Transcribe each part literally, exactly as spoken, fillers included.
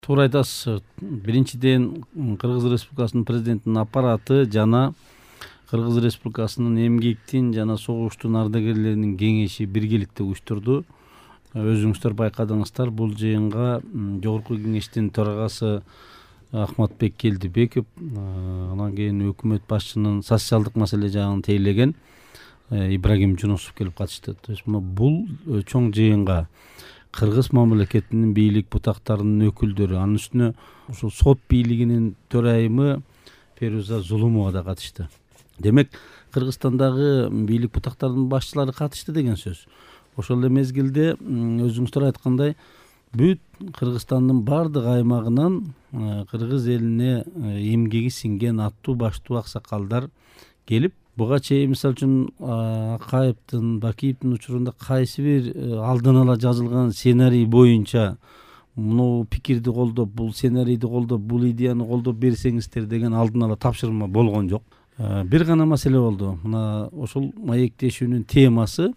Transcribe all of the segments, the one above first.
Туура айтасыз. Биринчиден, Кыргыз Республикасынын президентинин аппараты жана Кыргыз Республикасынын эмгектин жана согуштун ардагерлеринин кеңеши биргеликте уюштурду. Өзүңүздөр байкадыңыздар, бул жыйынга Жогорку Кеңештин төрагасы Ахматбек Келдибеков, анан кийин өкмөт башчынын социалдык маселе жагын тейлеген Ибрагим Жунусов келип катышты. То есть бул чоң жыйынга Кыргыз мамлекетинин бийлик бутактарынын өкүлдөрү, анын үстүнө ушул сот бийлигинин төрайымы Феруза Зулумова да катышты. Демек, Кыргызстандагы бийлик бутактарынын башчылары катышты деген сөз. Ошол эле мезгилде өзүңүздөр айткандай, бүт Кыргызстандын бардык аймагынан кыргыз элине эмгеги сиңген аттуу баштуу аксакалдар келип, буга чейин мисалы үчүн Акаевдин, Бакиевдин учурунда кайсы бир алдын ала жазылган сценарий боюнча муну пикирди колдоп, бул сценарийди колдоп, бул идеяны колдоп берсеңиздер деген алдын ала тапшырма болгон жок. Бир гана маселе болду. Мына ошол маектешүүнүн темасы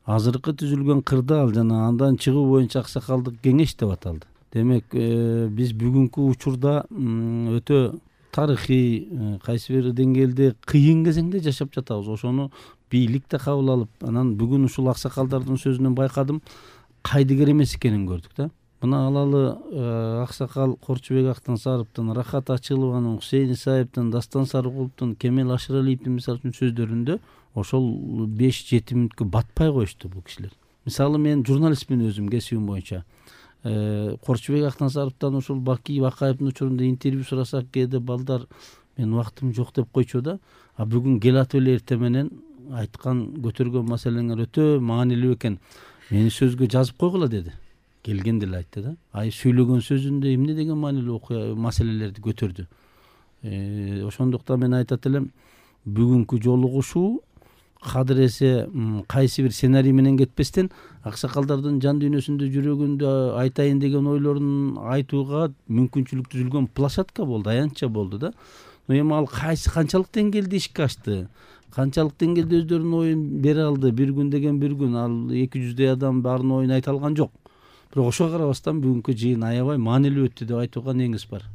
азыркы түзүлгөн кырдаал жана андан чыгуу боюнча аксакалдык кеңеш деп аталды. Демек, биз бүгүнкү учурда өтө тарыхый, кайсы бир деңгээлде кыйын кезеңде жашап жатабыз. Ошону бийлик да кабыл алып, анан бүгүн ушул аксакалдардын сөзүнөн байкадым, кайдыгер эмес экенин көрдүк да. Мына алалы аксакал Корчубек Актансаровдун, Рахат Ачылованын, Хусейин Исаевдин, Дастан Сарыкуловдун, Кемел Ашыралиевдин мисалы үчүн сөздөрүндө ошол беш жети мүнөткө батпай коюшту бул кишилер. Мисалы, мен журналистмин өзүм кесибим боюнча. Корчубек Актансаровдон ушул Бакиев, Акаевдин учурунда интервью сурасак, кээде балдар мен убактым жок деп койчу да. А бүгүн келатып эле эртең менен айткан, көтөргөн маселеңер өтө маанилүү экен. Мени сөзгө жазып койгула деди. Келген деле айтты да. Ай сүйлөгөн сөзүндө эмне деген маанилүү окуя маселелерди көтөрдү. Ошондуктан мен айтат элем, бүгүнкү жолугушуу кадыресе кайсы бир сценарий менен кетпестен аксакалдардын жан дүйнөсүндө, жүрөгүндө айтайын деген ойлорун айтууга мүмкүнчүлүк түзүлгөн площадка болду, аянтча болду да. Но эми ал кайсы канчалык деңгээлде ишке ашты, канчалык деңгээлде өздөрүнүн оюн бере алды, бир күн деген бир күн, ал эки жүздөй адам баарынын оюн айта алган жок. Бирок ошого карабастан бүгүнкү жыйын аябай маанилүү өттү деп айтууга негиз бар.